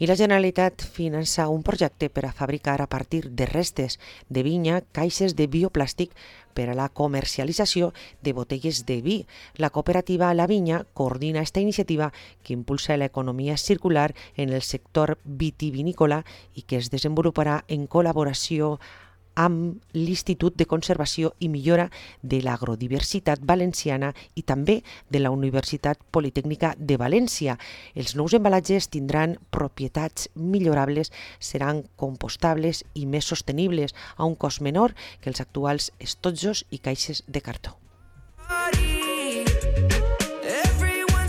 I la Generalitat finança un projecte per a fabricar a partir de restes de vinya caixes de bioplàstic per a la comercialització de botelles de vi. La cooperativa La Vinya coordina esta iniciativa que impulsa l'economia circular en el sector vitivinícola i que es desenvoluparà en col·laboració amb l'Institut de Conservació i Millora de l'Agrodiversitat Valenciana i també de la Universitat Politècnica de València. Els nous embalatges tindran propietats millorables, seran compostables i més sostenibles a un cost menor que els actuals estotjos i caixes de cartó.